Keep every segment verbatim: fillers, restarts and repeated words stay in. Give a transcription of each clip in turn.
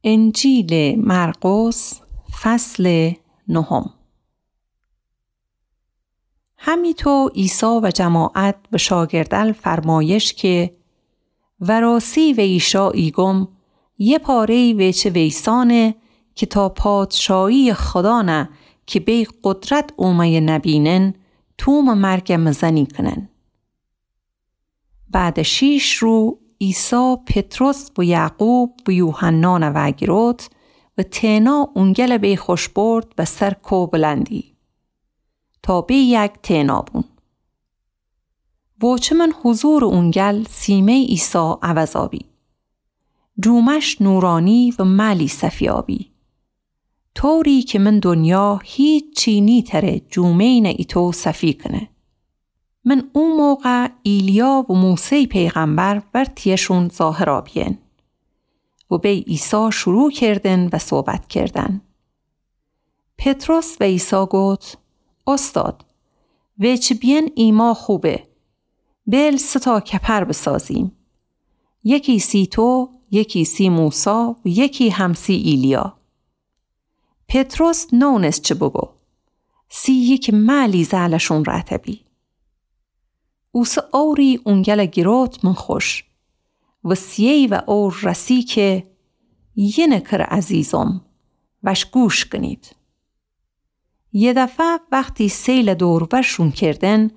انجیلٚ مرقس، فصلٚ نهم. همیطو عیسی و جماعت به شاگردأل فرمایش که، وراسی ویشا ایگم، یه پاره‌یی ویچه ویسانه که تا پادشاهیٚ خدا نه که بی قدرت اومه‌یه نبینن، تومٚ مرگ مزنی کنن. بعدٚ شیش رو عیسی پطرس و یعقوب و یوحنان وأگیروت و تئنا اونگل بی خوش برد و سر کو بلندی تا بی یک تئنا بون. وچمن حضورٚ اونگل سیمه‌یٚ عیسی عوض آبی. جومش نورانی و مألی صفی آبی. طوری که من دنیا هیچی نیتره جومه‌یٚ نه ایتو صفی کنه. من او موقع ایلیا و موسی پیغمبر ور تیشون ظاهر آبیین. و بی عیسی شروع کردن و صحبت کردن. پطرس و عیسی گفت، استاد، ویچه بیین ایما خوبه. بیل سه تا کپر بسازیم. یکی سی تو، یکی سی موسی و یکی هم سی ایلیا. پطرس نونست چه بگو. سی یکی مألی زألشون رأتبی. اوسه اوری اونگل گیروت من خوش. و سیی و اور رسی که یینه کر عزیزم وش گوش کنید. یه دفعه وختی سیل دور ورشون کردن،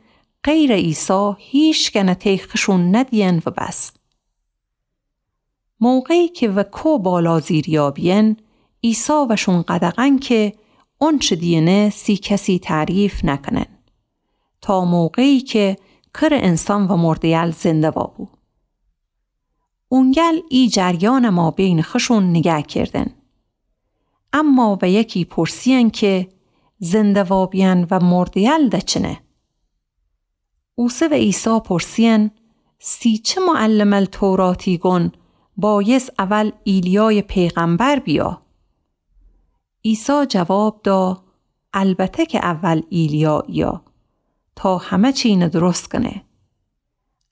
غیرٚ عیسی هیشکه نه تی خوشون ندیین و بس. موقعی که و کو بالا زیر یابیین، عیسی وشون قدغن که اونچه دیینه سی کسی تعریف نکنن، تا موقعی که کر انسان و مرده‌یل زنده وابو. اونگل ای جریان مابین خوشون نیگه کردن. اما و یکی پرسیین که زنده وابیین و مرده‌یل دچنه؟ اوسه و عیسی پرسیین، سی چه معلمٚ توراتی گون بایس اول ایلیای پیغمبر بیا؟ عیسی جواب دا، البته که اول ایلیا ایه تا همه چی نه درست کنه.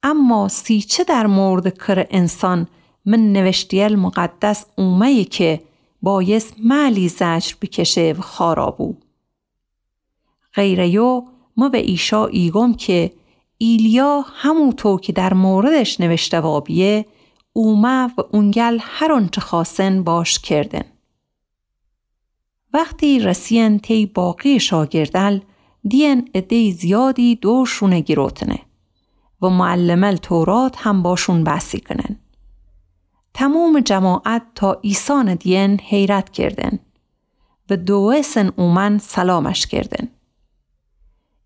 اما سی چه در موردٚ کر انسان من نوشته‌یل مقدس اومه‌یه که بایس مألی زجر بکشه و خوارا بو. غیرٚ ایو مه و ایشا ایگم که ایلیا هموطو که در موردش نوشته وابیه اومه و اونگل هر اونچه خوأستن باش کردن. وختی رسیین تی باقی شاگردأل، دیین عده‌یٚ زیادی دورشون گیروتنه و معلمٚ تورات هم باشون بحثی کنن. تمومٚ جماعت تا عیسی دیین حیرت کردن و دوئسن اومأن سلامش کردن.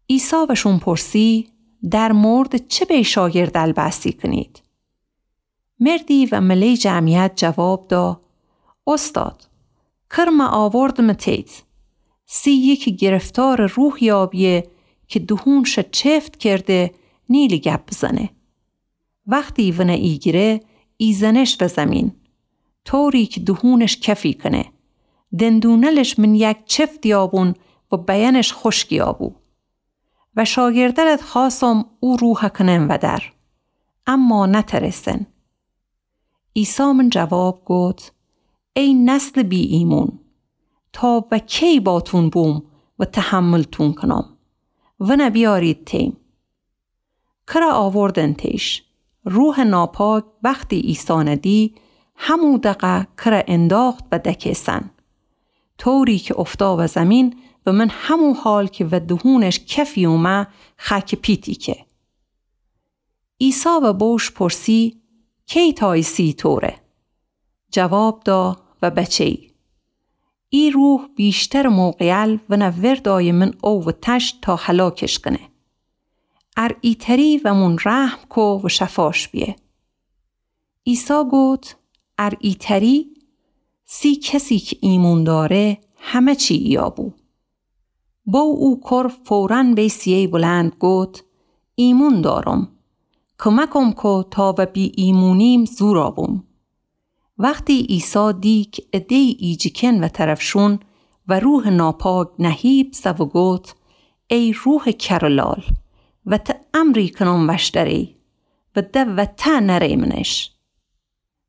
عیسی وشون پرسی، در موردٚ چه بی شاگردأل بحثی کنید؟ مردی و مله‌یٚ جمعیت جواب دا، استاد، کر مه آوردمه تیت. سی یکی گرفتارٚ روحی آبیه که دهونش چفت کرده نیلی گپ بزنه. وختی ونه ایگیره ایزنش و زیمین، طوری که دهونش کفی کنه. دندونلش من یک چفتی آبون و بیأنش خوشکی آبو. و شاگردألت خوأسم او روحه کنن ودر، اما نترسن. عیسی من جواب گفت، ای نسلٚ بی‌ایمون، تا و کی باتون بوم و تحملتون کنم؟ ونه بیارید تیم. کره آوردن تیش. روحٚ ناپاک وختی عیسی دی، همو دقه کره انداخت و دکه‌سن. طوری که افتا و زیمین و من همو حال که و دهونش کفی اومه خأکٚ پیتی که. عیسی و بوش پرسی، کی تایسی طوره؟ جواب دا، و بچه‌یی. ای روح ویشترٚ موقعیل ونه وردایه من او و تشت تا هلاکش کنه. ار ایتری ومون رحم کو و شفاش بیه. عیسی گفت، ار ایتری؟ سی کسی که ایمون داره همه چی ایابو. بو او کر فوراً بی سیی بلند گفت، ایمون دارم. کمکم کو تا و بی‌ایمونیم زورا بوم. وختی عیسی دی که عده‌یی ایجیکن و طرفشون و روحٚ ناپاک نهیب سه و گفت، ای روحٚ کر و لال، و ته امری کنم وشتری و ده و ته نریمنش.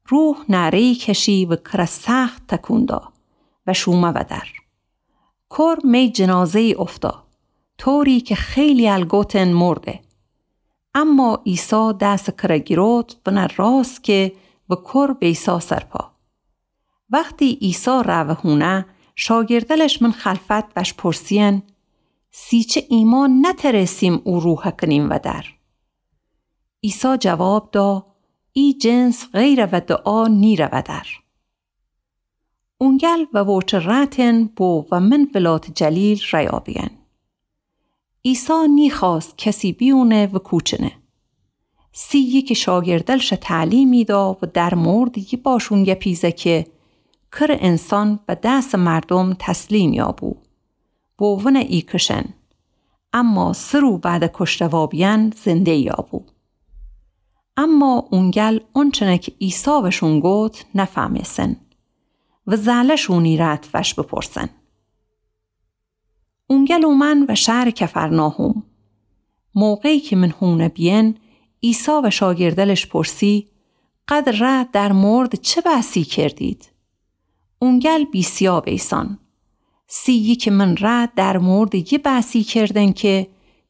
روح نعره‌یی کشی و کره سخت تکون دا و شومه ودر. کر می جنازه‌یی اوفتا، طوری کی خیلی الگوتن مرده. اما عیسی دس کره گیروت ونه راست که و کر بیسا سرپا. وختی عیسی روه هونه، شاگردلش من خلفت وش پرسین: سی چه ایمان نترسیم او روحه کنیم ودر؟ عیسی جواب دا: ای جنس غیر و دعا نیره ودر. اونگل و ووچه رأتن بو و من ولات جلیل رأیابین. عیسی نیخواست کسی بیونه و کوچنه. سی یکی شاگردلشه تعلیمی دا و در مورد یی باشون گپیزه که کر انسان به دس مردم تسلیم یابو، بو ونه ایکشن، اما سه رو بعد کشته وابین زنده یابو. اما اونگل اونچنه که عیسی وشون گوت نفهمیسن و زالشونی رأت وش بپرسن. اونگل اومن و شهر کفرناحوم. موقعی که من هونه بیین، عیسی و شاگردلش پرسی: قد ره در مورد چه بحثی کردید؟ اونگل بیسیا بیسان. سی یکی من ره در مورد یی بحثی کردن که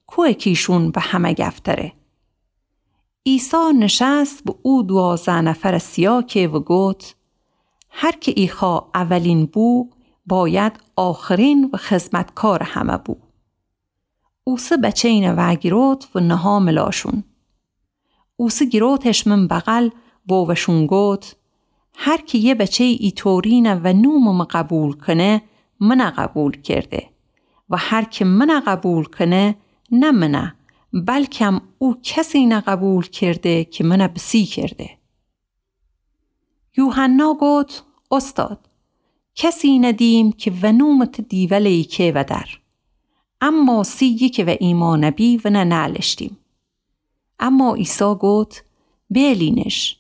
کو اکیشون به همه گفتره. عیسی نشست و او دوازده نفر سیا که و گوت: هر که ایخوا اولین بو، باید آخرین و خدمتکار همه بو. اوسه بچه‌ینه وأگیروت و نها ملاشون. اوسه گیروتش من بغل و وشون گوت: هر که یه بچه‌ی ایطورینه و نومٚ مه قبول کنه، منه قبول کرده، و هر که منه قبول کنه، نه منه، بلکم او کسینه قبول کرده که منه بسی کرده. یوحنا گوت: اوستاد، کسی ندیم که و نومٚ ته دیولی که ودر. اما سی یکی و ایمانه بی ونه نألشتیم. اما عیسی گوت: بیلینش،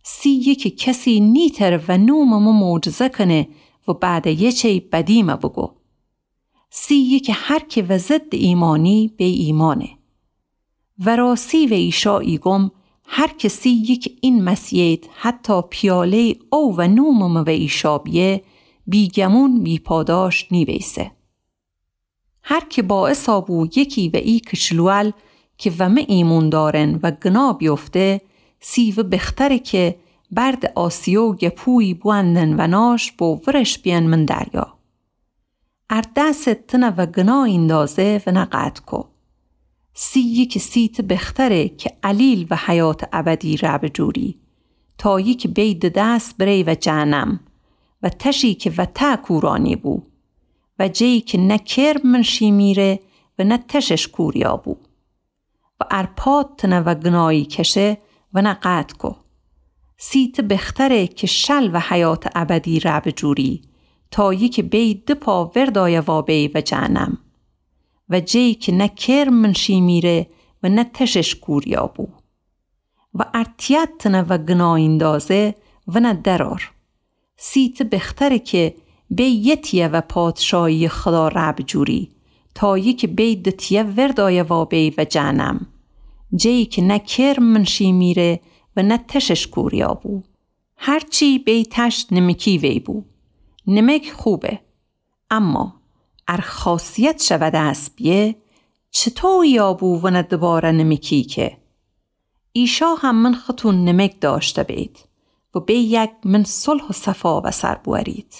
سی یکی کسی نیتر و نومٚ مه معجزه کنه و بعد یه چی بدیمه بگو. سی یکی هر که و ضد ایمانی بی ایمانه. وراسی و ایشا ایگم، هر کسی که این مسیحیت حتی پیاله‌ی او و نومٚ مه و ایشا بیه، بیگمون بی‌پاداش نیویسه. هر که باعثا بو یکی و ای کچلوال که و مه ایمون دارن و گنا بیفته، سی و بختره که برد آسیو گپویی بوندن و ناش بو ورش بیان من دریا. ار دست تنه و گنا ایندازه ونه قطع کو. سی یکی سی ته بختره که علیل و حیات ابدی رأ بجوری، تا یکی بی د دست بری و جهنم و تشی که و ته کورانی بو و جه‌یی که نه کرم من شیمیره و نه تشش کوریا بو. و ار پات تنه و گنایی کشه ونه قطع کو. سی ته بختره که شل و حیات ابدی رأ بجوری، تا یکی بی د پا وردایه وابی و جهنم و جه‌یی که نه کرم من شیمیره و نه تشش کوریا بو. و ار تیت تنه و گنا ایندازه ونه درار. سی ته بختره که بی یه تیه و پادشاهی خدا رأ بجوری، تا یکی بی د تیه وردایه وابی و جهنم، جه‌یی که نه کرم من شیمیره و نه تشش کوریا بو. هرچی بی تش نمکی وی بو. نمک خوبه. اما ار خاصیتش و دست بیه، چطویی آبو ونه دوباره نمکی که؟ ایشا هم من ختون نمک داشته بید و بی یک من صلح و صفا و سر بورید.